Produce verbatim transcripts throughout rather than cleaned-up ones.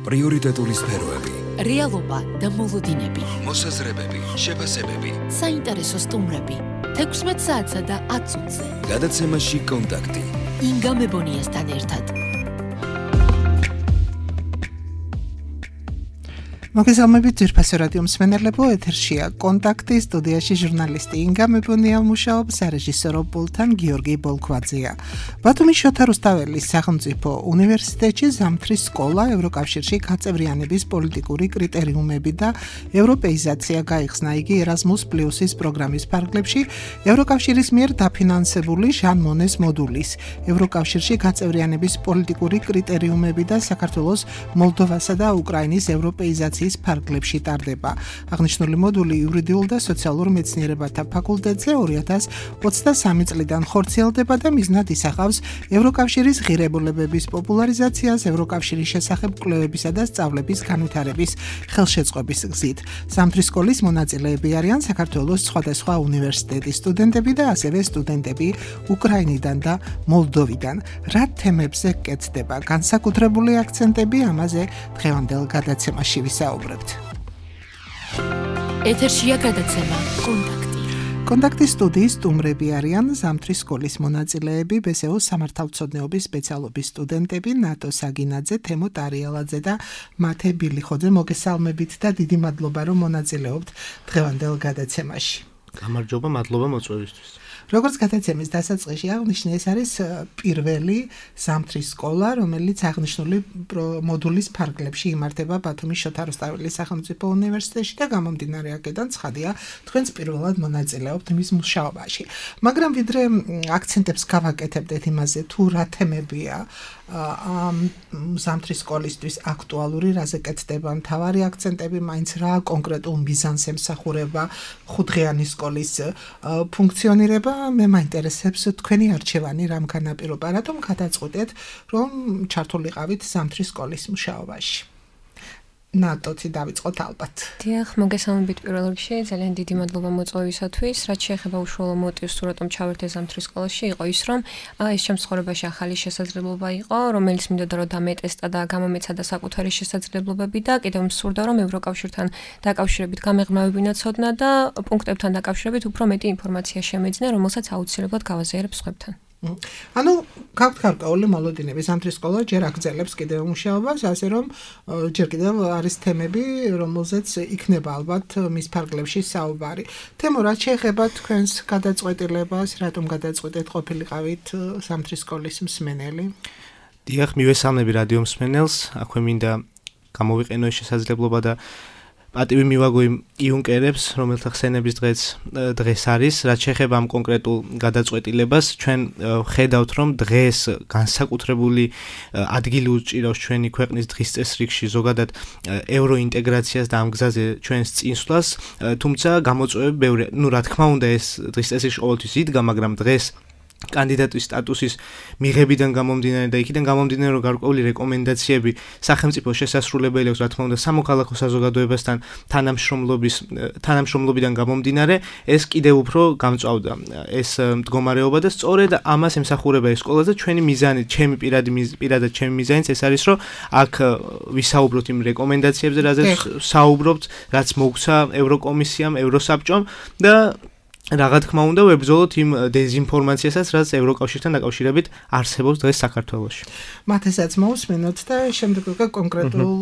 პრიორიტეტული სფეროები, რეალობა და მოლოდინები, მოსაზრებები, შეფასებები, საინტერესო სტუმრები, თექვსმეტ საათსა და ათ წუთზე. გადაცემაში კონტაქტი. ინგა მებონიასთან ერთად. მოგესალმებით ძვირფასო რადიო მსმენელებო, ეთერშია კონტაქტი, სტუდიაში ჟურნალისტი ინგა მებონია მუშაობს, სარეჟისორო პულტთან გიორგი ბოლქვაძეა. ბათუმის შოთა რუსთაველის სახელმწიფო უნივერსიტეტში ზამთრის სკოლა ევროკავშირში გაწევრიანების პოლიტიკური კრიტერიუმები და ევროპეიზაცია გაიხსნა. იგი ერაზმუს პლუსის პროგრამის ფარგლებში ევროკავშირის მიერ დაფინანსებული ჟან მონეს მოდულის ევროკავშირში გაწევრიანების პოლიტიკური კრიტერიუმები და საქართველოს, მოლდოვასა და უკრაინის ევროპეიზაციის ფარგლებში ტარდება. აღნიშნული მოდული იურიდიულ და სოციალურ მეცნიერებათა ფაკულტეტზე ორი ათას ოცდასამი წლიდან ხორციელდება და მიზნად ისახავს ევროკავშირის ღირებულებების პოპულარიზაციას ევროკავშირის შესახებ კვლევებისა და სწავლების განვითარების ხელშეწყობის გზით. ზამთრის სკოლის მონაწილეები არიან საქართველოს სხვადასხვა უნივერსიტეტის სტუდენტები და ასევე სტუდენტები უკრაინიდან და მოლდოვიდან. რა თემებზე კეთდება განსაკუთრებული აქცენტები, ამაზე დღევანდელ გადაცემაში ვისაუბრებთ. ეთერშია გადაცემა კონტაქტი. კონტაქტის სტუდიის სტუმრები არიან ზამთრის სკოლის მონაწილეები, ბესეოს სამართალმცოდნეობის სპეციალობის სტუდენტები ნატო საგინაძე, თემო ტარიალაძე და მათე ბილიხოძე. მოგესალმებით და დიდი მადლობა რომ მონაწილეობთ დღევანდელ გადაცემაში. გამარჯობა, მადლობა მოწვევისთვის. როგორც გადაცემის დასაწყისში აღნიშნე, ეს არის პირველი ზამთრის სკოლა, რომელიც აღნიშნული მოდულის ფარგლებში იმართება ბათუმის შოთა რუსთაველის სახელმწიფო უნივერსიტეტში და გამომდინარე აქედან ცხადია, თქვენც პირველად მონაწილეობთ მის მუშაობაში. მაგრამ ვიდრე აქცენტებს გავაკეთებდეთ იმაზე, თუ რა თემებია ამ ზამთრის სკოლისთვის აქტუალური, რაზე კეთდება მთავარი აქცენტები, მაინც რა კონკრეტულ მიზანს ემსახურება ხუთდღიანი სკოლის ფუნქციონირება, მე მაინტერესებს თქვენი არჩევანი რამ განაპირობა, რატომ გადაწყვეტეთ, რომ ჩართულიყავით ზამთრის სკოლის მუშაობაში. ნატოთი დავიწყოთ ალბათ. დიახ, მოგესალმებით პირველ რიგში, ძალიან დიდი მადლობა მოწვევისათვის. რაც შეეხება უშუალო მოტივს, თუ რატომ ჩავერთე ზამთრის სკოლაში, იყო ის, რომ ეს ჩემს ცხოვრებაში ახალი შესაძლებლობა იყო, რომელიც მინდოდა რომ დამეტესტა და გამომეცადა საკუთარი შესაძლებლობები და კიდევ მსურდა რომ ევროკავშირთან დაკავშირებით გამეღმავებინა ცოდნა და პუნქტებთან დაკავშირებით უფრო მეტი ინფორმაცია შემეძნა, რომელსაც აუცილებლად გავაზიარებ სხვებთან. ანუ გაქვთ გარკვეული მოლოდინები, ზამთრის სკოლა ჯერ აგრძელებს კიდევ მუშაობას, ასე რომ ჯერ კიდევ არის თემები, რომელზეც იქნება ალბათ მის ფარგლებში საუბარი. თემო, რაც შეეხება თქვენს გადაწყვეტილებას, რატომ გადაწყვეტეთ ყოფილიყავით ზამთრის სკოლის მსმენელი? დიახ, მივესალმები რადიო მსმენელს, აქვე მინდა გამოვიყენო ეს შესაძლებლობა და პატივი მივაგო იმ იუნკერებს, რომელთა ხსენების დღეც დღეს არის, რაც შეეხება ამ კონკრეტულ გადაწყვეტილებას, ჩვენ ხედავთ, რომ დღეს განსაკუთრებული ადგილი უჭირავს ჩვენი ქვეყნის დღის წესრიგში ზოგადად ევროინტეგრაციას და ამ გზაზე ჩვენს წინსვლას, თუმცა გამოწვევები ბევრია. ნუ რა თქმა უნდა, ეს დღის წესრიგში ყოველთვის იდგა, მაგრამ დღეს კანდიდატის სტატუსის მიღებიდან გამომდინარე და იქიდან გამომდინარე, რომ გარკვეული რეკომენდაციები სახელმწიფო შესასრულებელი აქვს, რა თქმა უნდა, სამოქალაქო საზოგადოებასთან თანამშრომლობის თანამშრომლობიდან გამომდინარე, ეს კიდევ უფრო გამწვავდა ეს მდგომარეობა და სწორედ ამას ემსახურება ეს სკოლა და ჩვენი მიზანი, ჩემი პირადი პირადად ჩემი მიზანიც ეს არის, რომ აქ ვისაუბროთ იმ რეკომენდაციებზე, რაზეც საუბრობთ, რაც მოგვცა ევროკომისიამ, ევროსაბჭომ და რა თქმა უნდა, ვებრძოლოთ იმ დეზინფორმაციასაც, რაც ევროკავშირთან დაკავშირებით არსებობს დღეს საქართველოში. მათესაც მოусმენოთ და შემდეგ უკვე კონკრეტულ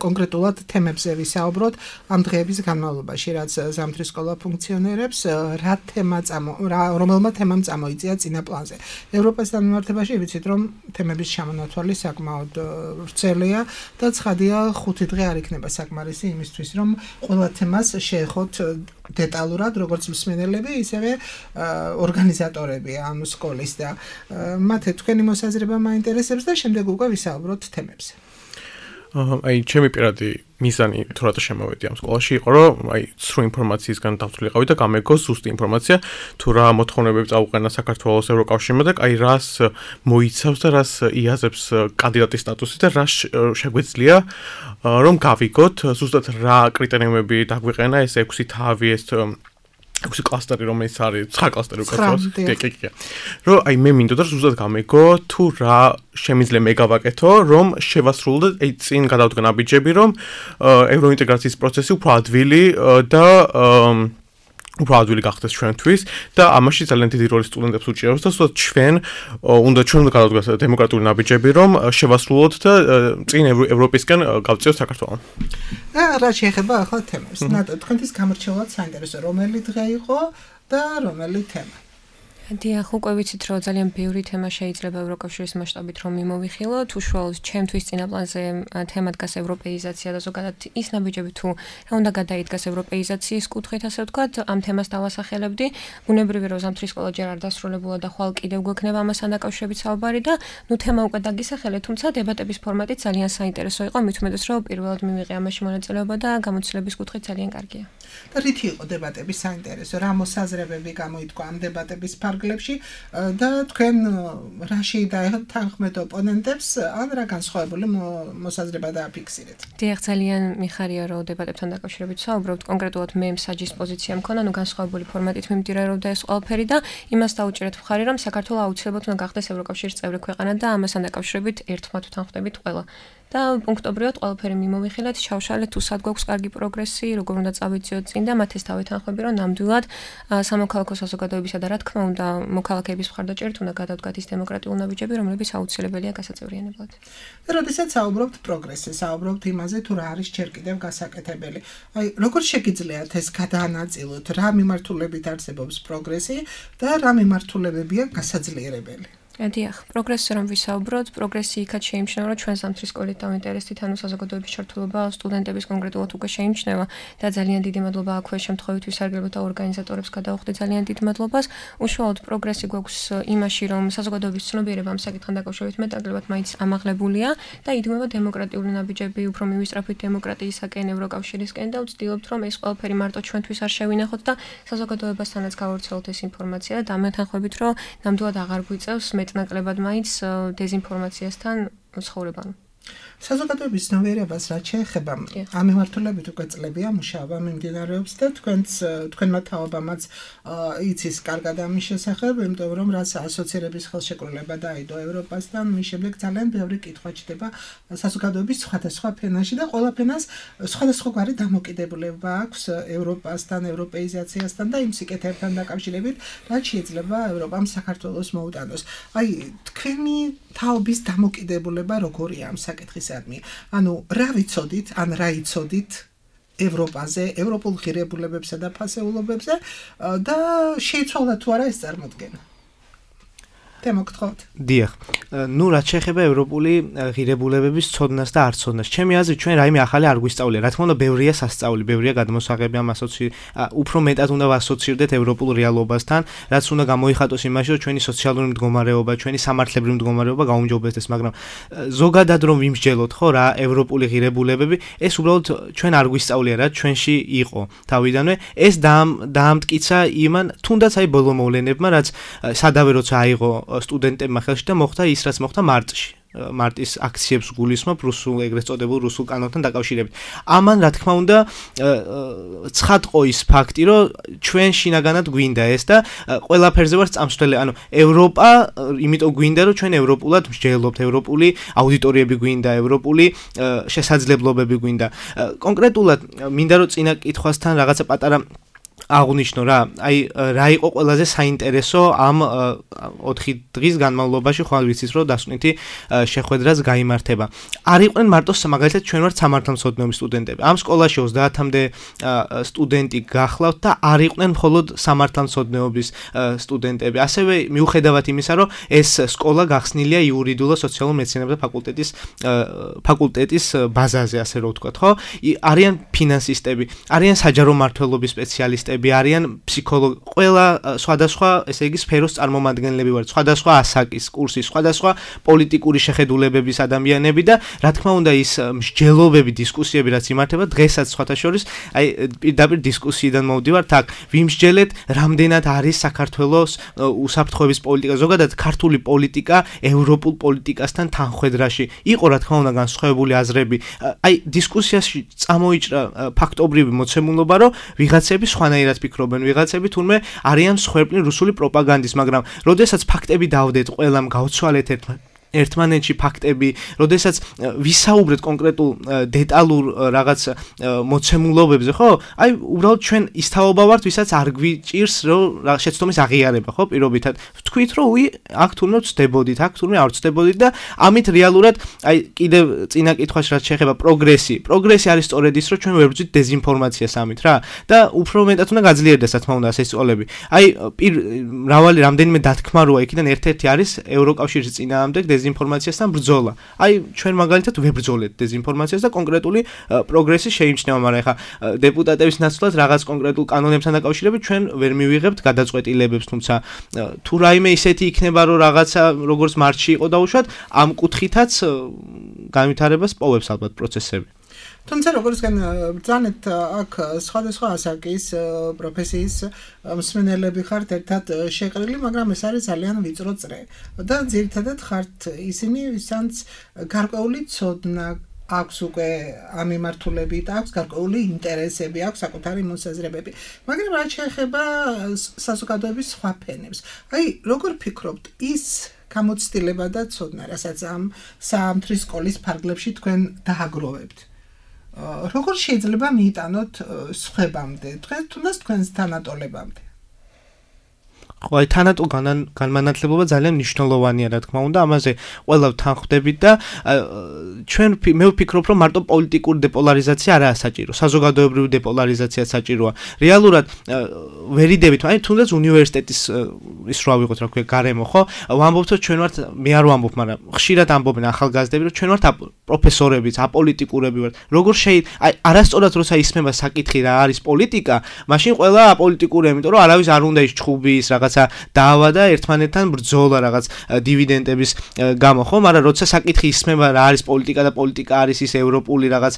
კონკრეტულად თემებზე ვისაუბროთ ამ დღეების განმავლობაში, რაც ზამთრის სკოლა ფუნქციონირებს, რა თემა წამო, რომელმა თემამ წამოიწია წინა პლანზე. ევროპასთან მიმართებაში ვიცით, რომ თემების ჩამონათვალი საკმაოდ ვრცელია და ცხადია, ხუთი დღე არ იქნება საკმარისი იმისთვის, რომ ყველა თემას შეეხოთ დეტალურად, როგორც მსმენელები, ისევე ორგანიზატორები ამ სკოლის და მათე თქვენი მოსაზრება მაინტერესებს და შემდეგ უკვე ვისაუბროთ თემებზე. აი, ჩემი პირადი მიზანი თუ რატო შემოვედი ამ სკოლაში იყო, რომ აი სრულ ინფორმაციისგან დავთვლილიყავი და გამეგო ზუსტი ინფორმაცია, თუ რა მოთხოვნებები წაუყენა საქართველოს ევროკავშირმა და აი რას მოიცავს და რას იაზებს კანდიდატის სტატუსი და რა შეგვეძლია რომ გავიგოთ ზუსტად რა კრიტერიუმები დაგვიყენა ეს ექვსი თავი ეს ექვსი კლასტერი რომელიც არის ცხრა კლასტერი უკაცრავად კი კი კი რომ აი მე მინდოდა ზუსტად გამეგო თუ რა შემიძლია მე გავაკეთო რომ შევასრულოთ აი წინ გადავდგა ნაბიჯები რომ ევროინტეგრაციის პროცესი უფრო ადვილი და უფრო ადვილი გახდეს ჩვენთვის და ამაში ძალიან დიდი როლი სტუდენტებს უჭირავს და ზუსტად ჩვენ უნდა ჩვენ უნდა გადავდგას დემოკრატიული ნაბიჯები რომ შევასრულოთ და წინ ევროპისკენ გავწიოთ საქართველოს. რა შეეხება ახლა თემებს. ნატო თქვენთვის გამორჩეულად საინტერესო რომელი დღე იყო და რომელი თემა? დიახ, უკვე ვიცით, რომ ძალიან ბევრი თემა შეიძლება ევროკავშირის მასშტაბით რომ მიმოვიხილოთ. უშუალოდ ჩემთვის წინა პლანზე თემა დგას ევროპეიზაცია და ზოგადად ის ნაბიჯები თუ რა უნდა გადაიდგას ევროპეიზაციის კუთხით, ასე ვთქვათ, ამ თემას დავასახელებდი. ბუნებრივია, რომ ზამთრის სკოლა ჯერ არ დასრულებულა და ხვალ კიდევ გვექნება ამასთან დაკავშირებით საუბარი და ნუ თემა უკვე დაგისახელე, თუმცა დებატების ფორმატი ძალიან საინტერესო იყო, მით უმეტეს, რომ პირველად მივიღე ამაში მონაწილეობა და გამოცდილების კუთხით ძალიან კარგია. და რითი იყო დებატები საინტერესო? რა მოსაზრებები გამოიტყვა ამ დებატების ფარგლებში და თქვენ რაში დაეთანხმეთ ოპონენტებს ან რა განსხვავებული მოსაზრება დააფიქსირეთ? დიახ, ძალიან მიხარია, რომ დებატებთან დაკავშირებით საუბრობთ. კონკრეტულად მე მსაჯის პოზიცია მქონა, ნუ განსხვავებული ფორმატით მიმდინარეობდა ეს ყველაფერი და იმას დაუჭერეთ მხარი, რომ საქართველო აუცილებლად უნდა გახდეს ევროკავშირის წევრი ქვეყანა და ამასთან დაკავშირებით ერთმანეთ ვთანხმდებით ყველა. და პუნქტობრივად ყველაფერი მიმოვიხილეთ, ჩავშალეთ თუ სად გვაქვს კარგი პროგრესი, როგორ უნდა წავიწიოთ წინ და მათ ეს დავეთანხმები, რომ ნამდვილად სამოქალაქო საზოგადოებისა და რა თქმა უნდა მოქალაქეების მხარდაჭერით უნდა გადავდგათ ის დემოკრატიული ნაბიჯები, რომლებიც აუცილებელია გასაწევრიანებლად. და როდესაც საუბრობთ პროგრესზე, საუბრობთ იმაზე, თუ რა არის ჯერ კიდევ გასაკეთებელი. აი, როგორ შეგიძლიათ ეს გადაანაწილოთ, რა მიმართულებით არსებობს პროგრესი და რა მიმართულებებია გასაძლიერებელი? დიახ, პროგრესზე რომ ვისაუბროთ, პროგრესი იქაც შეიმჩნევა, რომ ჩვენ ზამთრის სკოლით დავინტერესდით, ანუ საზოგადოების ჩართულობა სტუდენტების კონკრეტულად უკვე შეიმჩნევა და ძალიან დიდი მადლობა აქვე შემთხვევით ვისარგებლოთ და ორგანიზატორებს გადავხდი ძალიან დიდ მადლობას. უშუალოდ პროგრესი გვაქვს იმაში, რომ საზოგადოების ცნობიერება ამ საკითხთან დაკავშირებით მეტნაკლებად მაინც ამაღლებულია და იდგმება დემოკრატიული ნაბიჯები, უფრო მივისწრაფით დემოკრატიისაკენ, ევროკავშირისკენ და ვცდილობთ, რომ ეს ყველაფერი მარტო ჩვენთვის არ შევინახოთ და საზოგადოებასთანაც გავავრცელოთ ეს ინფორმაცია და დამეთანხმებით, რომ ნამდვილად აღარ გვიწევს მეტნაკლებად მაინც დეზინფორმაციასთან ცხოვრება. საზოგადოების ცნობიერებას რაც შეეხება ამ მიმართულებით უკვე წლებია მუშაობა მიმდინარეობს და თქვენც თქვენმა თაობამაც იცის კარგად ამის შესახებ, იმიტომ რომ რაც ასოცირების ხელშეკრულება დაიდო ევროპასთან, მის შემდეგ ძალიან ბევრი კითხვა ჩდება საზოგადოების სხვადასხვა ფენაში და ყველა ფენას სხვადასხვაგვარი დამოკიდებულება აქვს ევროპასთან, ევროპეიზაციასთან და იმ სიკეთეებთან დაკავშირებით, რაც შეიძლება ევროპამ საქართველოს მოუტანოს. აი, თქვენი თაობის დამოკიდებულება როგორია ამ საკითხისადმი? ანუ რა ვიცოდით, ან რა იცოდით ევროპაზე, ევროპულ ღირებულებებსა და ფასეულობებზე და შეიცვალა თუ არა ეს წარმოდგენა? თემოგთხოვთ. დიახ. ნუ რაც შეეხება ევროპული ღირებულებების ცოდნას და არ ცოდნას. ჩემი აზრით ჩვენ რაიმე ახალი არ გვისწავლია. რა თქმა უნდა, ბევრია სასწაული, ბევრია გადმოსაღები ამ ასოცი უფრო მეტად უნდა ვასოცირდეთ ევროპულ რეალობასთან, რაც უნდა გამოიხატოს იმაში, რომ ჩვენი სოციალური მდგომარეობა, ჩვენი სამართლებრივი მდგომარეობა გაუმჯობესდეს, მაგრამ ზოგადად რომ ვიმსჯელოთ, ხო, რა ევროპული ღირებულებები, ეს უბრალოდ ჩვენ არ გვისწავლია, რა ჩვენში იყო თავიდანვე. ეს დაამტკიცა იმან, თუნდაც აი ბოლო მოვლენებმა, რაც სადავე როცა აიღო სტუდენტებმა ხელში და მოხდა ის, რაც მოხდა მარტში. მარტის აქციებს გულისხმობ რუსულ ეგრეთ წოდებულ რუსულ კანონთან დაკავშირებით. ამან რა თქმა უნდა ცხადყო ის ფაქტი, რომ ჩვენ შინაგანად გვინდა ეს და ყველაფერზე ვარ წამსვლელი, ანუ ევროპა, იმიტომ გვინდა, რომ ჩვენ ევროპულად მსჯელობთ, ევროპული აუდიტორიები გვინდა, ევროპული შესაძლებლობები გვინდა. კონკრეტულად მინდა რომ წინა კითხვასთან რაღაცა პატარა აღნიშნო რა, აი რა იყო ყველაზე საინტერესო ამ ოთხი დღის განმავლობაში, ხვალ ვიცით რომ დასკვნითი შეხვედრაც გაიმართება. არ იყვნენ მარტო მაგალითად ჩვენ ვართ სამართალმცოდნეობის სტუდენტები. ამ სკოლაში ოცდაათამდე სტუდენტი გახლავთ და არ იყვნენ მხოლოდ სამართალმცოდნეობის სტუდენტები. ასევე მიუხედავად იმისა, რომ ეს სკოლა გახსნილია იურიდიულ სოციალურ მეცნიერებათა ფაკულტეტის ფაკულტეტის ბაზაზე, ასე რომ ვთქვათ, ხო? არიან ფინანსისტები, არიან საჯარო მმართველობის სპეციალისტები, არიან ფსიქოლოგი, ყველა სხვადასხვა, ესე იგი, სფეროს წარმომადგენლები ვართ, სხვადასხვა ასაკის, კურსის, სხვადასხვა პოლიტიკური შეხედულებების ადამიანები და რა თქმა უნდა ის მსჯელობები, დისკუსიები რაც იმართება დღესაც სხვათა შორის, აი პირდაპირ დისკუსიიდან მოვდივართ, აქ ვიმსჯელეთ, რამდენად არის საქართველოს უსაფრთხოების პოლიტიკა, ზოგადად ქართული პოლიტიკა ევროპულ პოლიტიკასთან თანხვედრაში. იყო რა თქმა უნდა განსხვავებული აზრები. აი დისკუსიაში წამოიჭრა ფაქტობრივი მოცემულობა, რომ ვიღაცები სხვა სხვანაირად ფიქრობენ ვიღაცები, თურმე არიან მსხვერპლი რუსული პროპაგანდის, მაგრამ როდესაც ფაქტები დავდეთ, ყველამ გავცვალეთ ერთმანეთს ერთმანეთში ფაქტები, როდესაც ვისაუბრეთ კონკრეტულ დეტალურ რაღაც მოცემულობებზე, ხო? აი, უბრალოდ ჩვენ ის თაობა ვართ, ვისაც არ გვიჭირს, რომ შეცდომის აღიარება, ხო, პირობითად. ვთქვით, რომ უი, აქ თურმე ვწდებოდით, აქ თურმე არ ვწდებოდით და ამით რეალურად, აი, კიდევ წინა კითხვაში რაც შეეხება პროგრესი. პროგრესი არის სწორედ ის, რომ ჩვენ ვერ ვძვით დეზინფორმაციას ამით რა და უფრო მეტად უნდა გაძლიერდეს, რა თქმა უნდა, ეს სიტყვები. აი, მრავალი რამდენიმე დათქმა როა იქიდან ერთ-ერთი არის ევროკავშირის წინააღმდეგ დეზინფორმაციასთან ბრძოლა. აი, ჩვენ მაგალითად ვებრძოლეთ დეზინფორმაციას და კონკრეტული პროგრესი შეიმჩნევა, მაგრამ ეხა დეპუტატების ნაცვლად რაღაც კონკრეტულ კანონებთან დაკავშირებით ჩვენ ვერ მივიღებთ გადაწყვეტილებებს, თუმცა თუ რაიმე ისეთი იქნება, რომ რაღაცა როგორც მარტში იყო დაუშვათ, ამ კუთხითაც განვითარებას პოვებს ალბათ პროცესები. თუმცა როგორც ბრძანეთ, აქ სხვადასხვა ასაკის პროფესიის მსმენელები ხართ ერთად შეყრილი, მაგრამ ეს არის ძალიან ვიწრო წრე. და ძირითადად ხართ ისინი, ვისაც გარკვეული ცოდნა აქვს უკვე ამ მიმართულებით, აქვს გარკვეული ინტერესები, აქვს საკუთარი მოსაზრებები. მაგრამ რაც შეეხება საზოგადოების სხვა ფენებს, აი, როგორ ფიქრობთ, ის გამოცდილება და ცოდნა, რასაც ამ საამთრის სკოლის ფარგლებში თქვენ დააგროვებთ? როგორ შეიძლება მიიტანოთ სხვებამდე, დღეს თუნდაც თქვენს თანატოლებამდე? ხო, აი თანატოლ განმანათლებლობა ძალიან მნიშვნელოვანია, რა თქმა უნდა, ამაზე ყველა თანხმდებით და ჩვენ მე ვფიქრობ, რომ მარტო პოლიტიკური დეპოლარიზაცია არაა საჭირო, საზოგადოებრივი დეპოლარიზაცია საჭიროა. რეალურად ვერიდებით, აი თუნდაც უნივერსიტეტის ის რა ვიღოთ, რა ქვია, გარემო, ხო? ვამბობთ, რომ ჩვენ ვართ, მე არ ვამბობ, მაგრამ ხშირად ამბობენ ახალგაზრდები, რომ ჩვენ ვართ პროფესორებიც, აპოლიტიკურები ვართ. როგორ შეიძლება, აი არასწორად როცა ისმება საკითხი რა არის პოლიტიკა, მაშინ ყველა აპოლიტიკურია, იმიტომ რომ არავის არ უნდა ის ჩხუბის რაღაც დავა და ერთმანეთთან ბრძოლა რაღაც დივიდენდების გამო, ხო? მაგრამ როცა საკითხი ისმება რა არის პოლიტიკა და პოლიტიკა არის ის ევროპული რაღაც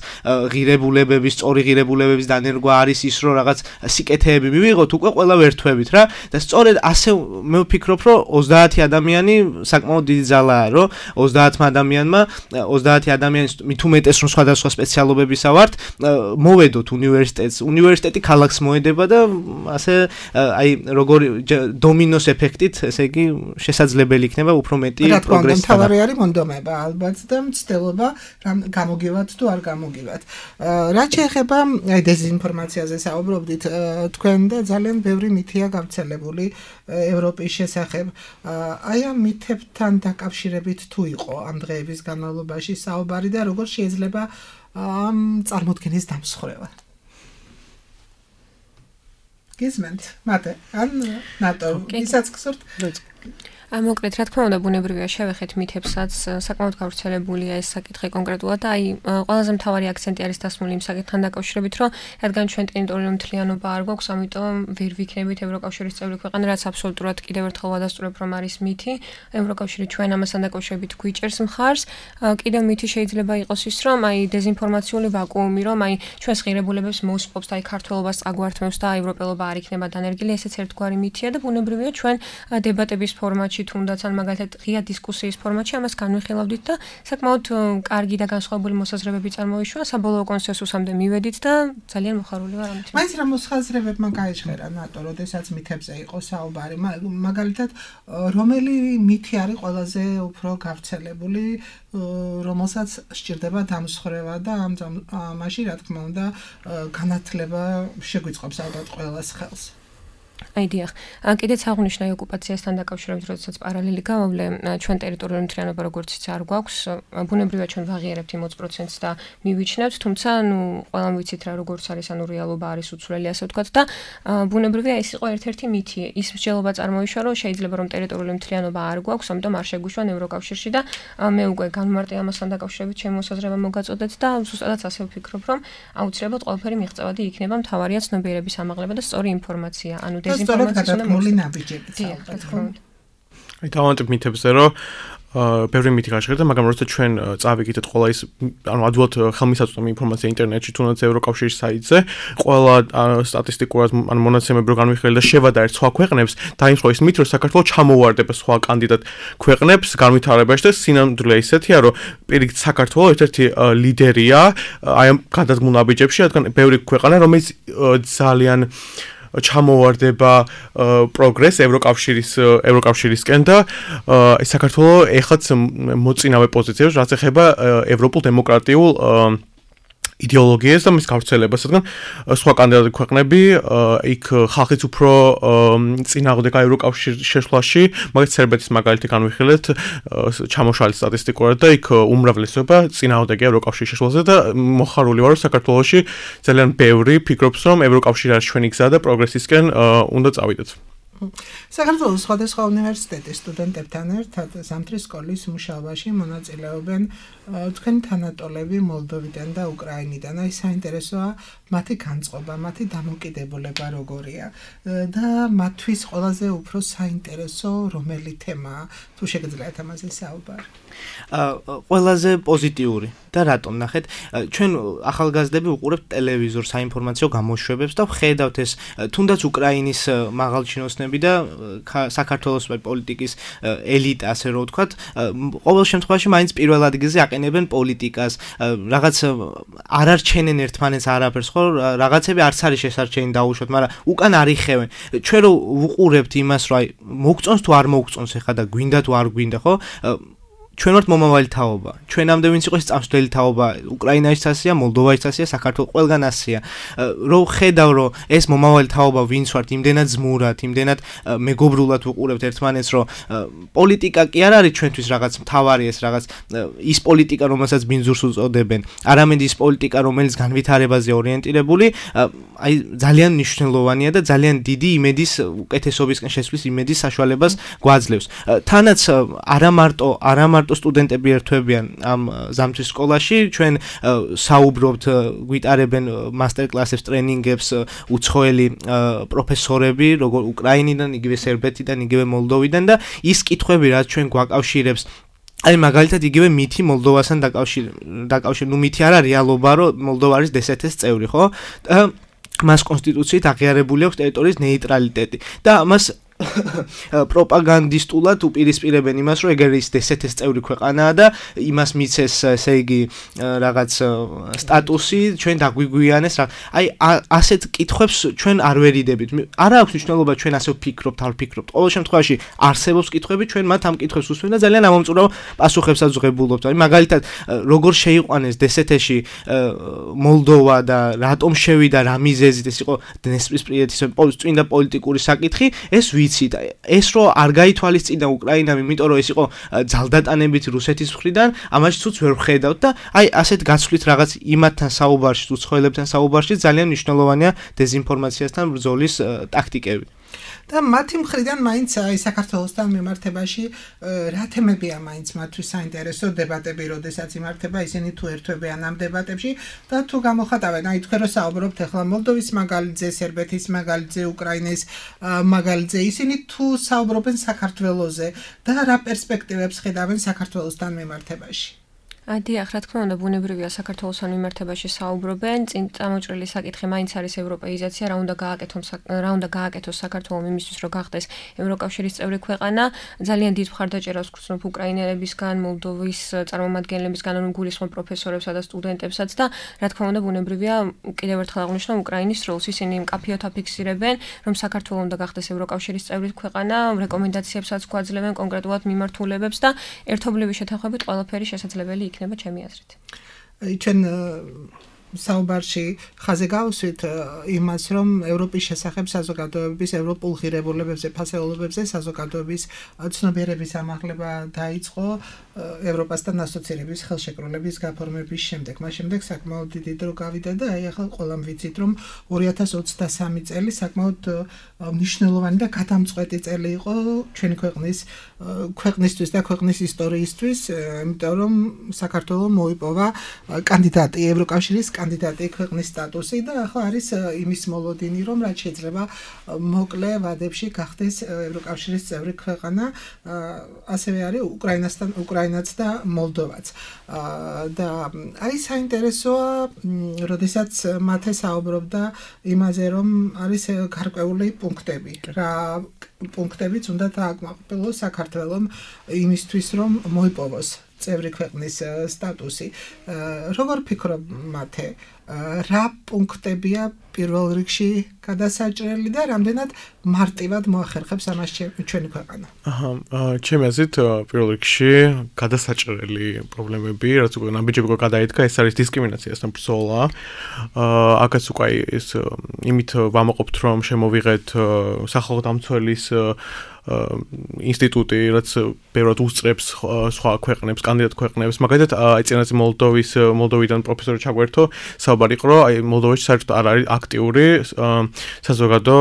ღირებულებების, სწორი ღირებულებების დანერგვა არის ის, რომ რაღაც სიკეთეები მივიღოთ, უკვე ყველა ვერთვებით რა. და სწორედ ასე მე ვფიქრობ, რომ ოცდაათი ადამიანი საკმაოდ დიდი ძალაა, რომ ოცდაათმა ადამიანმა, ოცდაათი ადამიანის მით უმეტეს რომ სხვადასხვა სპეციალობებისა ვართ, მოვედოთ უნივერსიტეტს. უნივერსიტეტი ქალაქს მოედება და ასე აი როგორი დომინოს ეფექტით, ესე იგი, შესაძლებელი იქნება უფრო მეტი პროგრესი. თავარი არის მონდომება ალბათ და მცდელობა რამ გამოგივათ თუ არ გამოგივათ. რაც შეეხება აი დეზინფორმაციაზე საუბრობდით, თქვენ და ძალიან ბევრი მითია გავრცელებული ევროპის შესახებ. აი ამ მითებთან დაკავშირებით თუ იყო ამ დღეების განმავლობაში საუბარი და როგორ შეიძლება ამ წარმოდგენის დამსხვრევა? გისმენთ, მათე, ან ნატო, ისაც გსურთ? მოკლედ, რა თქმა უნდა, ბუნებრივია შევეხეთ მითებსაც, საკმაოდ გავრცელებულია ეს საკითხი კონკრეტულად და აი ყველაზე მთავარი აქცენტი არის დასმული იმ საკითხთან დაკავშირებით, რომ რადგან ჩვენ ტერიტორიული მთლიანობა არ გვაქვს, ამიტომ ვერ ვიქნებით ევროკავშირის წევრი ქვეყანა, რაც აბსოლუტურად კიდევ ერთხელ ვადასტურებ, რომ არის მითი. ევროკავშირი ჩვენ ამასთან დაკავშირებით გვიჭერს მხარს. კიდევ მითი შეიძლება იყოს ის, რომ აი დეზინფორმაციული ვაკუუმი, რომ აი ჩვენს ღირებულებებს მოსპობს და აი ქართველობას წაგვართმევს და ევროპელობა არ იქნება დანერგილი, ესეც ერთგვარი მითია და ბუნებრივია ჩვენ დებატების ფორმატში თუნდაც ან მაგალითად ღია დისკუსიის ფორმატში ამას განვიხილავდით და საკმაოდ კარგი და განსხვავებული მოსაზრებები წარმოიშვა, საბოლოო კონსენსუსამდე მივედით და ძალიან მოხარული ვარ ამით. მაინც რა მოსაზრებებმა გაიჟღერა ნატო, როდესაც მითებზე იყო საუბარი, მაგალითად რომელი მითი არის ყველაზე უფრო გავრცელებული, რომელსაც სჭირდება დამსხვრევა და ამ ამაში რა თქმა უნდა განათლება შეგვიწყობს ალბათ ყველას ხელს. აი დიახ, კიდეც აღნიშნე ოკუპაციასთან დაკავშირებით, როდესაც პარალელი გავავლე, ჩვენ ტერიტორიული მთლიანობა როგორც იცი არ გვაქვს, ბუნებრივია ჩვენ ვაღიარებთ იმ ოცი პროცენტს და მივიჩნევთ, თუმცა ნუ ყველამ ვიცით რა როგორც არის, ანუ რეალობა არის უცვლელი, ასე ვთქვათ და ბუნებრივია ეს იყო ერთ-ერთი მითი. ის მსჯელობა წარმოიშვა, რომ შეიძლება რომ ტერიტორიული მთლიანობა არ გვაქვს, ამიტომ არ შეგვიშვან ევროკავშირში და მე უკვე განმარტე ამასთან დაკავშირებით ჩემი მოსაზრება მოგაწოდეთ და ზუსტადაც ასე ვფიქრობ, რომ აუცილებლად ყველაფერი მიღწევადი იქნება, მთავარია ცნობიერების ამაღლება და სწორი ინფორმაცია. ანუ დეზინფორმაციის ნაბიჯებით საუბრობთ. აი დავამატებ მითებზე, რომ ბევრი მითი გაჟღერდა, მაგრამ როცა ჩვენ წავიგეთ ყველა ის, ანუ ადვილად ხელმისაწვდომი ინფორმაცია ინტერნეტში, თუნდაც ევროკავშირის საიტზე, ყველა სტატისტიკურად ან მონაცემები რო განვიხილეთ და შევადა ერთ სხვა ქვეყნებს, დაიმსხვრა ის მითი, რომ საქართველოს ჩამოვარდება სხვა კანდიდატ ქვეყნებს განვითარებაში და სინამდვილე ისეთია, რომ პირიქით საქართველოს ერთ-ერთი ლიდერია აი ამ გადადგმულ ნაბიჯებში, რადგან ბევრი ქვეყანა, რომელიც ძალიან ჩამოვარდება პროგრეს ევროკავშირის ევროკავშირისკენ და საქართველოს ეხლაც მოწინავე პოზიციებს რაც ეხება ევროპულ დემოკრატიულ იდეოლოგიას და მის გავრცელებას, რადგან სხვა კანდიდატი ქვეყნები იქ ხალხიც უფრო წინააღმდეგა ევროკავშირის შეშლაში, მაგალითად სერბეთის მაგალითი განვიხილეთ ჩამოშალეს სტატისტიკურად და იქ უმრავლესობა წინააღმდეგია ევროკავშირის შეშლაზე და მოხარული ვარ საქართველოში ძალიან ბევრი ფიქრობს რომ ევროკავშირი არის ჩვენი გზა და პროგრესისკენ უნდა წავიდეთ. საქართველოს სხვადასხვა უნივერსიტეტის სტუდენტებთან ერთად ზამთრის სკოლის მუშაობაში მონაწილეობენ თქვენი თანატოლები მოლდოვიდან და უკრაინიდან. აი საინტერესოა მათი განწყობა, მათი დამოკიდებულება როგორია და მათთვის ყველაზე უფრო საინტერესო რომელი თემაა, თუ შეგიძლიათ ამაზე საუბარი. ყველაზე პოზიტიური და რატომ ნახეთ ჩვენ ახალგაზრდები უყურებთ ტელევიზორს საინფორმაციო გამოშვებებს და ვხედავთ ეს თუნდაც უკრაინის მაღალჩინოსნები და საქართველოს პოლიტიკის ელიტა ასე რომ ვთქვათ ყოველ შემთხვევაში მაინც პირველ ადგილზე აყენებენ პოლიტიკას რაღაც არ არჩენენ ერთმანეთს არაფერს ხო რაღაცები არც არის შესარჩენი დაუშვათ მაგრამ უკან არიხევენ ჩვენ რო ვუყურებთ იმას რომ აი მოგწონს თუ არ მოგწონს ეხლა და გვინდა თუ არ გვინდა ხო ჩვენ ვართ მომავალი თაობა. ჩვენამდე ვინც იყო ეს წამსვლელი თაობა, უკრაინაში ასია, მოლდოვაში ასია, საქართველოს ყველგან ასია. რო ხედავ რომ ეს მომავალი თაობა ვინც ვართ, იმდენად ზმურად, იმდენად მეგობრულად ვუყურებთ ერთმანეთს, რომ პოლიტიკა კი არ არის ჩვენთვის რაღაც მთავარი ეს რაღაც ის პოლიტიკა, რომელსაც ბინძურს უწოდებენ, არამედ ის პოლიტიკა, რომელიც განვითარებაზე ორიენტირებული, აი ძალიან მნიშვნელოვანია და ძალიან დიდი იმედის უკეთესობისკენ შესვლის იმედის საშუალებას გვაძლევს. თანაც არა მარტო არა მარტო სტუდენტები ერთვებიან ამ ზამთრის სკოლაში ჩვენ საუბრობთ გვიტარებენ მასტერკლასებს ტრენინგებს უცხოელი პროფესორები როგორ უკრაინიდან იგივე სერბეთიდან იგივე მოლდოვიდან და ის კითხვები რაც ჩვენ გვაკავშირებს აი მაგალითად იგივე მითი მოლდოვასთან დაკავშირ დაკავშირ ნუ მითი არა რეალობა რომ მოლდოვა არის დსთ-ის წევრი ხო და მას კონსტიტუციით აღიარებული აქვს ტერიტორიის ნეიტრალიტეტი და ამას პროპაგანდისტულად უპირისპირებენ იმას, რომ ეგ არის დსთ-ის წევრი ქვეყანაა და იმას მიცეს, ესე იგი, რაღაც სტატუსი, ჩვენ დაგვიგვიანეს რა. აი, ასეთ კითხვებს ჩვენ არ ვერიდებით. არა აქვს მნიშვნელობა ჩვენ ასე ვფიქრობთ, არ ვფიქრობთ. ყოველ შემთხვევაში არსებობს კითხვები, ჩვენ მათ ამ კითხვებს ვუსვენ და ძალიან ამომწურავ პასუხებსაც ვღებულობთ. აი, მაგალითად, როგორ შეიყვანეს დსთ-ში მოლდოვა და რატომ შევიდა რა მიზეზით ეს იყო დნესპრისპრიეთის წმინდა პოლიტიკური საკითხი, ეს ვიცით ეს რო არ გაითვალისწინა უკრაინამ იმიტომ რომ ეს იყო ძალდატანებით რუსეთის მხრიდან ამაში თუც ვერ ვხედავთ და აი ასეთ გაცვლით რაღაც იმათთან საუბარში უცხოელებთან საუბარში ძალიან მნიშვნელოვანია დეზინფორმაციასთან ბრძოლის ტაქტიკები და მათი მხრიდან მაინც აი საქართველოსთან მიმართებაში რა თემებია მაინც მათთვის საინტერესო დებატები, როდესაც იმართება ისინი თუ ერთვებიან ამ დებატებში და თუ გამოხატავენ, აი თქვენ რო საუბრობთ ახლა მოლდოვის მაგალითზე, სერბეთის მაგალითზე, უკრაინის მაგალითზე, ისინი თუ საუბრობენ საქართველოზე და რა პერსპექტივებს ხედავენ საქართველოსთან მიმართებაში. დიახ, რა თქმა უნდა, ბუნებრივია საქართველოსთან მიმართებაში საუბრობენ, წინ წამოჭრილი საკითხი მაინც არის ევროპეიზაცია, რა უნდა გააკეთოს რა უნდა გააკეთოს საქართველოს იმისთვის, რომ გახდეს ევროკავშირის წევრი ქვეყანა. ძალიან დიდ მხარდაჭერას გვცნობ უკრაინელებისგან, მოლდოვის წარმომადგენლებისგან, ანუ გულისხმობ პროფესორებსა და სტუდენტებსაც და რა თქმა უნდა, ბუნებრივია კიდევ ერთხელ აღნიშნავ უკრაინის როლს. ისინი მკაფიოდ აფიქსირებენ, რომ საქართველოს უნდა გახდეს ევროკავშირის წევრი ქვეყანა, რეკომენდაციებსაც გვაძლევენ კონკრეტულად მიმართულებებს და ერთობლივი შეთანხმებით ყველაფერი შესაძლებელი იქნება ჩემი აზრით. ჩვენ საუბარში ხაზე გავუსვით იმას, რომ ევროპის შესახებ საზოგადოების ევროპულ ღირებულებებზე, ფასეულობებზე საზოგადოების ცნობიერების ამაღლება დაიწყო ევროპასთან ასოცირების ხელშეკრულების გაფორმების შემდეგ. მას შემდეგ საკმაოდ დიდი დრო გავიდა და აი ახლა ყველამ ვიცით, რომ ორი ათას ოცდასამი წელი საკმაოდ მნიშვნელოვანი და გადამწყვეტი წელი იყო ჩვენი ქვეყნის ქვეყნისთვის და ქვეყნის ისტორიისთვის, იმიტომ რომ საქართველოს მოიპოვა კანდიდატი ევროკავშირის კანდიდატი ქვეყნის სტატუსი და ახლა არის იმის მოლოდინი, რომ რაც შეიძლება მოკლე ვადებში გახდეს ევროკავშირის წევრი ქვეყანა, ასევე არის უკრაინასთან უკრაინაც და მოლდოვაც. და აი საინტერესოა, როდესაც მათე საუბრობდა იმაზე, რომ არის გარკვეული პუნქტები, რა პუნქტებიც უნდა დააკმაყოფილოს საქართველოს იმისთვის, რომ მოიპოვოს წევრი ქვეყნის სტატუსი. როგორ ფიქრობ მათე, რა პუნქტებია პირველ რიგში გადასაჭრელი და რამდენად მარტივად მოახერხებს ამას ჩვენი ქვეყანა? აჰა, ჩემი აზრით პირველ რიგში გადასაჭრელი პრობლემები, რაც უკვე ნაბიჯები უკვე გადაიდგა, ეს არის დისკრიმინაციასთან ბრძოლა. აქაც უკვე ეს იმით ვამაყობთ, რომ შემოვიღეთ სახალხო დამცველის ინსტიტუტი, რაც ბევრად უსწრებს სხვა ქვეყნებს, კანდიდატ ქვეყნებს. მაგალითად, აი წინაზე მოლდოვის მოლდოვიდან პროფესორი ჩაგვერთო, საუბარი იყო, რომ აი მოლდოვაში საერთოდ არ არის აქტიური საზოგადო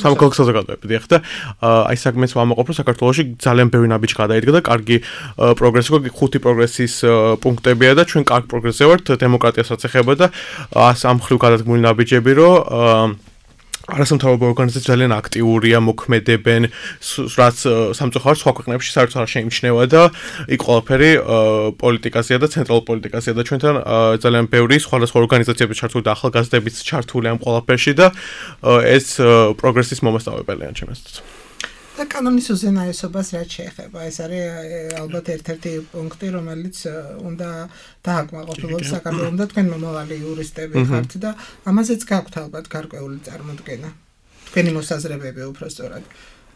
სამოქალაქო საზოგადოებები, ახლა აი საგმეს ვამაყობ, რომ საქართველოში ძალიან ბევრი ნაბიჯი გადაიდგა და კარგი პროგრესი იყო, ხუთი პროგრესის პუნქტებია და ჩვენ კარგ პროგრესზე ვართ, დემოკრატიასაც ეხება და ამ მხრივ გადადგმული ნაბიჯები, რომ არასამთავრობო ორგანიზაციები ძალიან აქტიურია, მოქმედებენ, რაც სამწუხაროდ სხვა ქვეყნებში საერთოდ არ შეიმჩნევა და იქ ყველაფერი პოლიტიკაზეა და ცენტრალურ პოლიტიკაზეა და ჩვენთან ძალიან ბევრი სხვადასხვა ორგანიზაციები ჩართული და ახალგაზრდებიც ჩართული ამ ყველაფერში და ეს პროგრესის მომასწავლებელია ჩემს. და კანონის უზენაესობას რაც შეეხება, ეს არის ალბათ ერთ-ერთი პუნქტი, რომელიც უნდა დააკმაყოფილოს საქართველოს და თქვენ მომავალი იურისტები ხართ და ამაზეც გაქვთ ალბათ გარკვეული წარმოდგენა. თქვენი მოსაზრებები უბრალოდ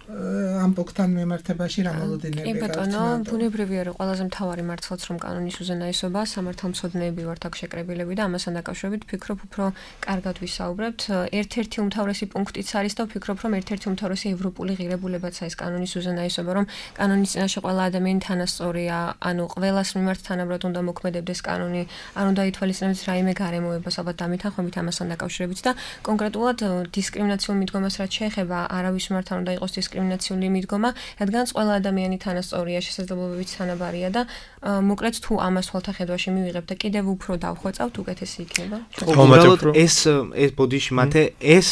ამ პუნქტთან მიმართებაში რა მოლოდინები გაქვთ? კი ბატონო, ბუნებრივია რომ ყველაზე მთავარი მართლაც რომ კანონის უზენაესობა, სამართალმცოდნეები ვართ აქ შეკრებილები და ამასთან დაკავშირებით ვფიქრობ უფრო კარგად ვისაუბრებთ. ერთ-ერთი უმთავრესი პუნქტიც არის და ვფიქრობ რომ ერთ-ერთი უმთავრესი ევროპული ღირებულებაც არის კანონის უზენაესობა, რომ კანონის წინაშე ყველა ადამიანი თანასწორია, ანუ ყველას მიმართ თანაბრად უნდა მოქმედებდეს კანონი, არ უნდა ითვალისწინებდეს რაიმე გარემოებას, ალბათ დამეთანხმებით ამასთან დაკავშირებით და კონკრეტულად დისკრიმინაციულ მიდგომას რაც შეეხება, არავის მიმართ არ უნდა იყოს დისკრიმინაცია დისკრიმინაციული მიდგომა, რადგან ყველა ადამიანი თანასწორია, შესაძლებლობებით თანაბარია და მოკლედ თუ ამას თვალთახედვაში მივიღებთ და კიდევ უფრო დავხვეწავთ, უკეთესი იქნება. უბრალოდ ეს ეს ბოდიში მათე ეს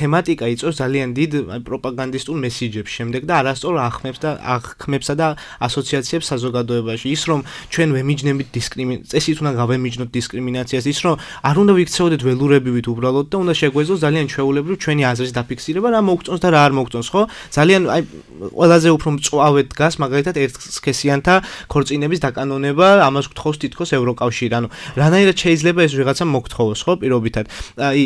თემატიკა იწვევს ძალიან დიდ პროპაგანდისტულ მესიჯებს შემდეგ და არასწორ ახმებს და ახმებსა და ასოციაციებს საზოგადოებაში. ის რომ ჩვენ ვემიჯნებით დისკრიმინაციას, წესით უნდა გავემიჯნოთ დისკრიმინაციას, ის რომ არ უნდა ვიქცეოდეთ ველურებივით უბრალოდ და უნდა შეგვეძლოს ძალიან ჩვეულებრივ ჩვენი აზრის დაფიქსირება, რა მოგწონს და რა არ მოგწონს, ხო? ძალიან აი ყველაზე უფრო მწვავედ დგას მაგალითად ერთსქესიანთა ქორწინების დაკანონება, ამას გთხოვს თითქოს ევროკავშირი. ანუ რანაირად შეიძლება ეს ვიღაცამ მოგთხოვოს, ხო, პირობითად. აი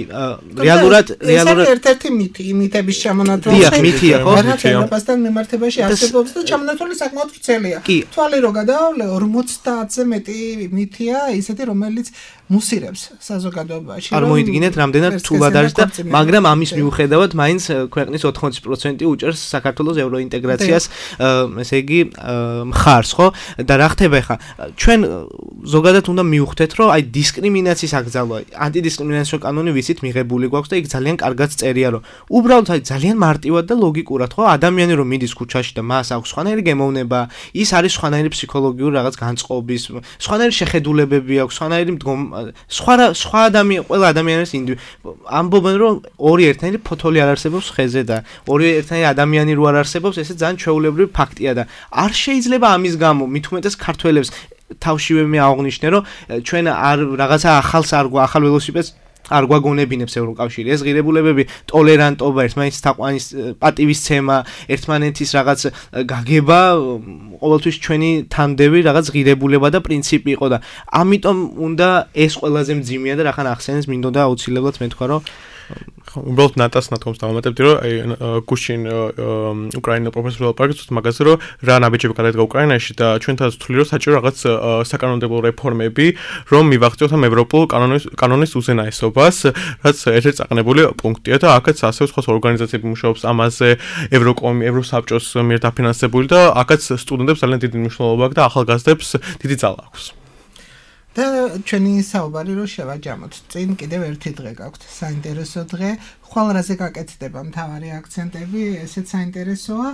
რეალურად რეალურად ერთ-ერთი მითი, იმითების ჩამონათვალი. დიახ, მითია, ხო? რაღაცებასთან მიმართებაში არსებობს და ჩამონათვალი საკმაოდ ვრცელია. თვალი რო გადაავლე ორმოცდაათზე მეტი მითია, ისეთი რომელიც მუსირებს საზოგადოებაში. არ მოიდგინეთ რამდენად თულად არის და მაგრამ ამის მიუხედავად მაინც ქვეყნის ოთხმოცი პროცენტი უჭერს საქართველოს ევროინტეგრაციას, ესე იგი მხარს, ხო? და რა ხდება ხა? ჩვენ ზოგადად უნდა მივხვდეთ, რომ აი დისკრიმინაციის აკრძალვა, ანტიდისკრიმინაციო კანონი ვიცით მიღებული გვაქვს და იქ ძალიან კარგად წერია, რომ უბრალოდ აი ძალიან მარტივად და ლოგიკურად, ხო? ადამიანი რომ მიდის ქუჩაში და მას აქვს სხვანაირი გემოვნება, ის არის სხვანაირი ფსიქოლოგიური რაღაც განწყობის, სხვანაირი შეხედულებები აქვს, სხვანაირი სხვა სხვა ადამიანი, ყველა ადამიანის ამბობენ, რომ ორი ერთნაირი ფოთოლი არ არსებობს ხეზე და ორი ერთნაირი ადამიანი რო არ არსებობს, ესე ძალიან ჩვეულებრივი ფაქტია და არ შეიძლება ამის გამო მით უმეტეს ქართველებს თავშივე მე აღნიშნე, რომ ჩვენ არ რაღაცა ახალს არ ახალ ველოსიპედს არ გვაგონებინებს ევროკავშირი. ეს ღირებულებები, ტოლერანტობა, ერთმანეთის თაყვანის პატივისცემა, ერთმანეთის რაღაც გაგება, ყოველთვის ჩვენი თანდები რაღაც ღირებულება და პრინციპი იყო და ამიტომ უნდა ეს ყველაზე მძიმეა და რახან ახსენეს მინდოდა აუცილებლად მე თქვა, რომ უბრალოდ ნატას ნათქვამს დავამატებდი, რომ აი გუშინ უკრაინა პროფესორ ლაპარაკობს მაგაზე, რომ რა ნაბიჯები გადაიდგა უკრაინაში და ჩვენთან თვლი რომ საჭირო რაღაც საკანონმდებლო რეფორმები, რომ მივაღწიოთ ამ ევროპულ კანონის კანონის უზენაესობას, რაც ერთ-ერთი წაყენებული პუნქტია და აქაც ასევე სხვა ორგანიზაციები მუშაობს ამაზე, ევროკომი, ევროსაბჭოს მიერ დაფინანსებული და აქაც სტუდენტებს ძალიან დიდი მნიშვნელობა აქვს და ახალგაზრდებს დიდი ძალა აქვს. და ჩვენი საუბარი რო შევაჯამოთ. წინ კიდევ ერთი დღე გაქვთ, საინტერესო დღე. ხვალ რაზე გაკეთდება მთავარი აქცენტები, ესეც საინტერესოა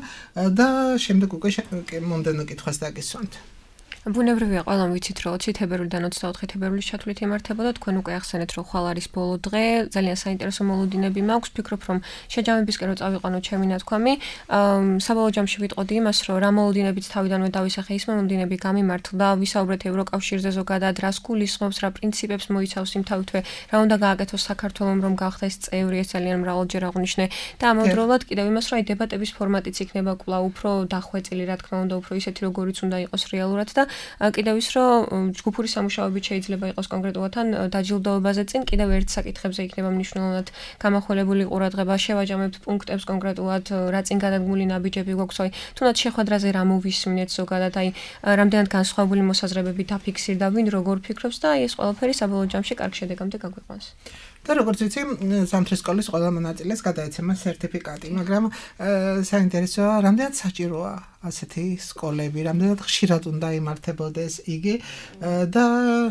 და შემდეგ უკვე მომდენო კითხვას დაგისვამთ. ბუნებრივია, ყველამ ვიცით, რომ ოცი თებერვლიდან ოცდაოთხი თებერვლის ჩათვლით იმართებოდა, თქვენ უკვე ახსენეთ, რომ ხვალ არის ბოლო დღე, ძალიან საინტერესო მოლოდინები მაქვს, ვფიქრობ, რომ შეჯამებისკენ რომ წავიყვანოთ ჩემი ნათქვამი, საბოლოო ჯამში ვიტყოდი იმას, რომ რა მოლოდინებიც თავიდანვე დავისახე, ის მოლოდინები გამიმართლა, ვისაუბრეთ ევროკავშირზე ზოგადად, რას გულისხმობს, რა პრინციპებს მოიცავს იმთავითვე, რა უნდა გააკეთოს საქართველომ, რომ გახდეს წევრი, ეს ძალიან მრავალჯერ აღვნიშნე და ამავდროულად კიდევ იმას, რომ აი დებატების ფორმატიც იქნება კვლავ უფრო დახვეწილი, რა თქმა უნდა, უფრო ისეთი, როგორიც უნდა იყოს რეალურად და კიდევ ის რომ ჯგუფური სამუშაოებით შეიძლება იყოს კონკრეტულად ან დაჯილდოებაზე წინ კიდევ ერთ საკითხებზე იქნება მნიშვნელოვნად გამახვილებული ყურადღება შევაჯამებთ პუნქტებს კონკრეტულად რა წინ გადადგმული ნაბიჯები გვაქვს აი თუნდაც შეხვედრაზე რა მოვისმინეთ ზოგადად აი რამდენად განსხვავებული მოსაზრებები დაფიქსირდა ვინ როგორ ფიქრობს და აი ეს ყველაფერი საბოლოო ჯამში კარგ შედეგამდე გაგვიყვანს და როგორც ვიცი ზამთრის სკოლის ყველა მონაწილეს გადაეცემა სერტიფიკატი მაგრამ საინტერესოა რამდენად საჭიროა ასეთი სკოლები რამდენად ხშირად უნდა იმართებოდეს იგი და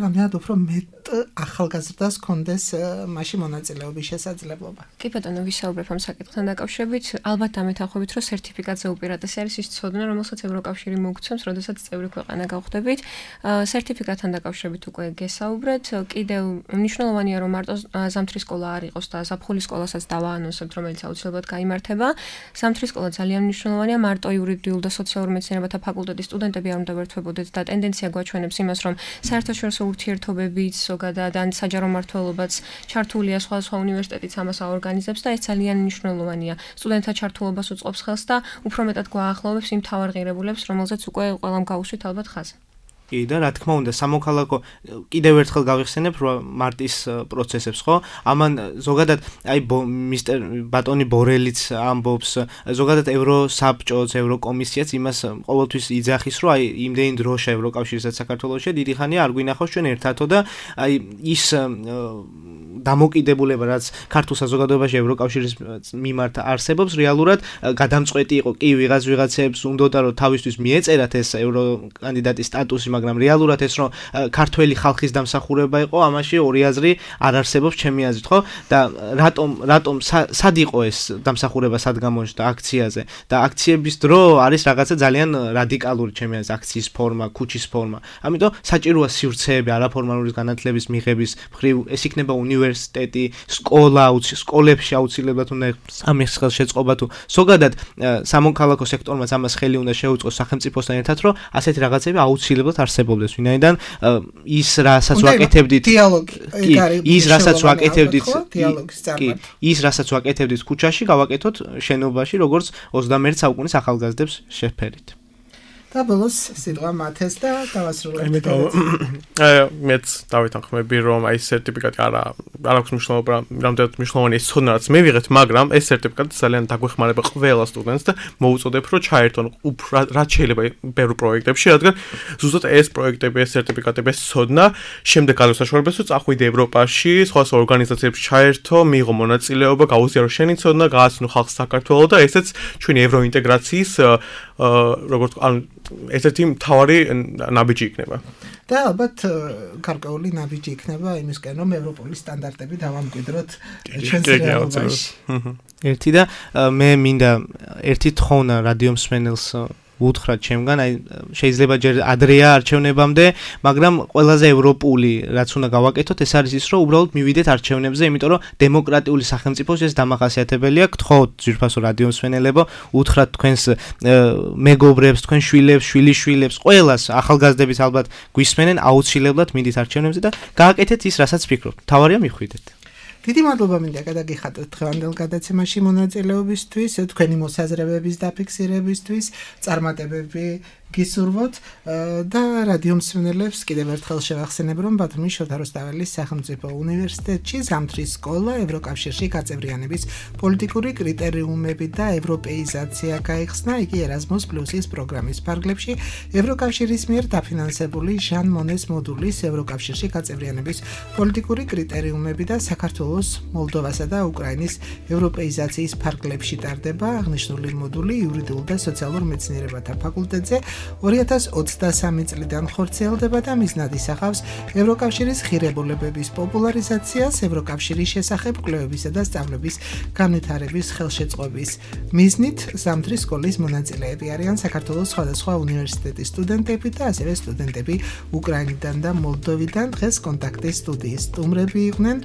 რამდენად უფრო მეტ ახალგაზრდას კონდეს მასში მონაწილეობის შესაძლებლობა. კი ბატონო, ვისაუბრებ ამ საკითხთან დაკავშირებით, ალბათ დამეთანხმებით, რომ სერტიფიკატზე უპირატესი არის ის ცოდნა, რომელსაც ევროკავშირი მოგცემს, როდესაც წევრი ქვეყანა გავხდებით. სერტიფიკატთან დაკავშირებით უკვე გესაუბრეთ, კიდევ მნიშვნელოვანია, რომ მარტო ზამთრის სკოლა არ იყოს და ზაფხულის სკოლასაც დავაანონსებთ, რომელიც აუცილებლად გაიმართება. ზამთრის სკოლა ძალიან მნიშვნელოვანია, მარტო იურიდიულ და სოციალურ მეცნიერებათა ფაკულტეტის სტუდენტები არ უნდა ვერთვებოდეთ და ტენდენცია გვაჩვენებს იმას, რომ საერთაშორისო ურთიერთობებიც ზოგადად ან საჯარო მმართველობაც ჩართულია სხვადასხვა უნივერსიტეტიც ამას აორგანიზებს და ეს ძალიან მნიშვნელოვანია. სტუდენტთა ჩართულობას უწყობს ხელს და უფრო მეტად გვაახლოვებს იმ მთავარ ღირებულებს, რომელზეც უკვე ყველამ გაუსვით ალბათ ხაზი. კი და რა თქმა უნდა სამოქალაქო კიდევ ერთხელ გავიხსენებ რომ მარტის პროცესებს ხო ამან ზოგადად აი მისტერ ბატონი ბორელიც ამბობს ზოგადად ევროსაბჭოც ევროკომისიაც იმას ყოველთვის იძახის რომ აი იმდენი დროშა ევროკავშირისაც საქართველოში დიდი ხანია არ გვინახავს ჩვენ ერთადო და აი ის დამოკიდებულება რაც ქართულ საზოგადოებაში ევროკავშირის მიმართ არსებობს რეალურად გადამწყვეტი იყო კი ვიღაც ვიღაცებს უნდოდა რომ თავისთვის მიეწერათ ეს ევროკანდიდატის სტატუსი მაგრამ რეალურად ეს რომ ქართველი ხალხის დამსახურება იყო ამაში ორი აზრი არ არსებობს ჩემი აზრით ხო და რატომ რატომ სად იყო ეს დამსახურება სად გამოჩნდა აქციაზე და აქციების დრო არის რაღაცა ძალიან რადიკალური ჩემი აზრით აქციის ფორმა ქუჩის ფორმა ამიტომ საჭიროა სივრცეები არაფორმალური განათლების მიღების მხრივ ეს იქნება უნივერსიტეტი სკოლა სკოლებში აუცილებლად უნდა ამის ხელშეწყობა თუ ზოგადად სამოქალაქო სექტორმაც ამას ხელი უნდა შეუწყოს სახელმწიფოსთან ერთად რომ ასეთი რაღაცები აუცილებლად არსებობდეს ვინაიდან ის რასაც ვაკეთებდით დიალოგი ის რასაც ვაკეთებდით ის რასაც ვაკეთებდით ქუჩაში გავაკეთოთ შენობაში როგორც ოცდამეერთე საუკუნის ახალგაზრდებს შეფერით და ბოლოს სიტყვა მათეს და დავასრულებთ. იმიტომ მეც დავითანხმები რომ აი სერტიფიკატი არა არ აქვს მნიშვნელობა რამდენად მნიშვნელოვანი ეს ცოდნა რაც მე ვიღეთ მაგრამ ეს სერტიფიკატი ძალიან დაგვეხმარება ყველა სტუდენტს და მოუწოდებ რომ ჩაერთონ რაც შეიძლება ბევრ პროექტებში რადგან ზუსტად ეს პროექტები ეს სერტიფიკატები ეს ცოდნა შემდეგ გადასაშორებას რომ წახვიდე ევროპაში სხვა ორგანიზაციებში ჩაერთო მიიღო მონაწილეობა გაუზიარო შენი ცოდნა გააცნო ხალხს საქართველოს და ესეც ჩვენი ევროინტეგრაციის როგორც ან ესეთი მთავარი ნაბიჯი იქნება. და ალბათ გარკვეული ნაბიჯი იქნება იმისკენ რომ ევროპული სტანდარტები დავამკვიდროთ ჩვენს რეალობაში. ერთი და მე მინდა ერთი თხოვნა რადიო მსმენელს უთხრათ ჩემგან, აი შეიძლება ჯერ ადრეა არჩევნებამდე, მაგრამ ყველაზე ევროპული რაც უნდა გავაკეთოთ, ეს არის ის, რომ უბრალოდ მივიდეთ არჩევნებზე, იმიტომ რომ დემოკრატიული სახელმწიფოს ეს დამახასიათებელია. გთხოვთ ძვირფასო რადიო მსმენელებო, უთხრათ თქვენს მეგობრებს, თქვენ შვილებს, შვილიშვილებს, ყველას ახალგაზრდებს ალბათ გვისმენენ, აუცილებლად მიდით არჩევნებზე და გააკეთეთ ის, რასაც ფიქრობთ. თავარია მიხვიდეთ. დიდი მადლობა მინდა გადაგიხადოთ დღევანდელ გადაცემაში მონაწილეობისთვის, თქვენი მოსაზრებების დაფიქსირებისთვის, წარმატებები გისურვოთ და რადიო მსმენელებს კიდევ ერთხელ შევახსენებ, რომ ბათუმის შოთა რუსთაველის სახელმწიფო უნივერსიტეტში ზამთრის სკოლა ევროკავშირში გაწევრიანების პოლიტიკური კრიტერიუმები და ევროპეიზაცია გაიხსნა, იგი ერაზმუს პლუსის პროგრამის ფარგლებში ევროკავშირის მიერ დაფინანსებული ჟან მონეს მოდულის ევროკავშირში გაწევრიანების პოლიტიკური კრიტერიუმები და საქართველოს, მოლდოვასა და უკრაინის ევროპეიზაციის ფარგლებში ტარდება აღნიშნული მოდული იურიდიულ და სოციალურ მეცნიერებათა ფაკულტეტზე ორი ათას ოცდასამი წლიდან ხორციელდება და მიზნად ისახავს ევროკავშირის ღირებულებების პოპულარიზაციას, ევროკავშირის შესახებ კვლევებისა და სწავლების განვითარების ხელშეწყობის მიზნით. ზამთრის სკოლის მონაწილეები არიან საქართველოს სხვადასხვა უნივერსიტეტის სტუდენტები და ასევე სტუდენტები უკრაინიდან და მოლდოვიდან. დღეს კონტაქტის სტუდიის სტუმრები იყვნენ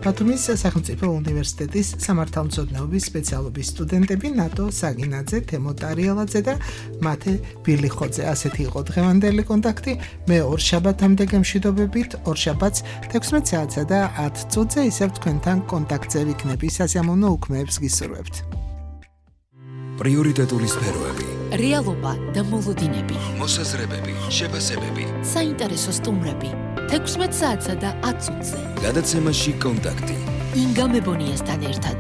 ბათუმის სახელმწიფო უნივერსიტეტის სამართალმცოდნეობის სპეციალობის სტუდენტები ნატო საგინაძე, თემო ტარიელაძე და მათე ბილიხოძე. ასეთი იყო დღევანდელი კონტაქტი. მე ორშაბათამდე გემშვიდობებით, ორშაბათს თექვსმეტ საათსა და ათ წუთზე ისევ თქვენთან კონტაქტზე ვიქნები. სასიამოვნო უქმეებს გისურვებთ. პრიორიტეტული სფეროები, რეალობა და მოლოდინები, მოსაზრებები, შეფასებები, საინტერესო სტუმრები. თექვსმეტ საათსა და ათ წუთზე. გადაცემაში კონტაქტი. ინგა მებონიასთან ერთად.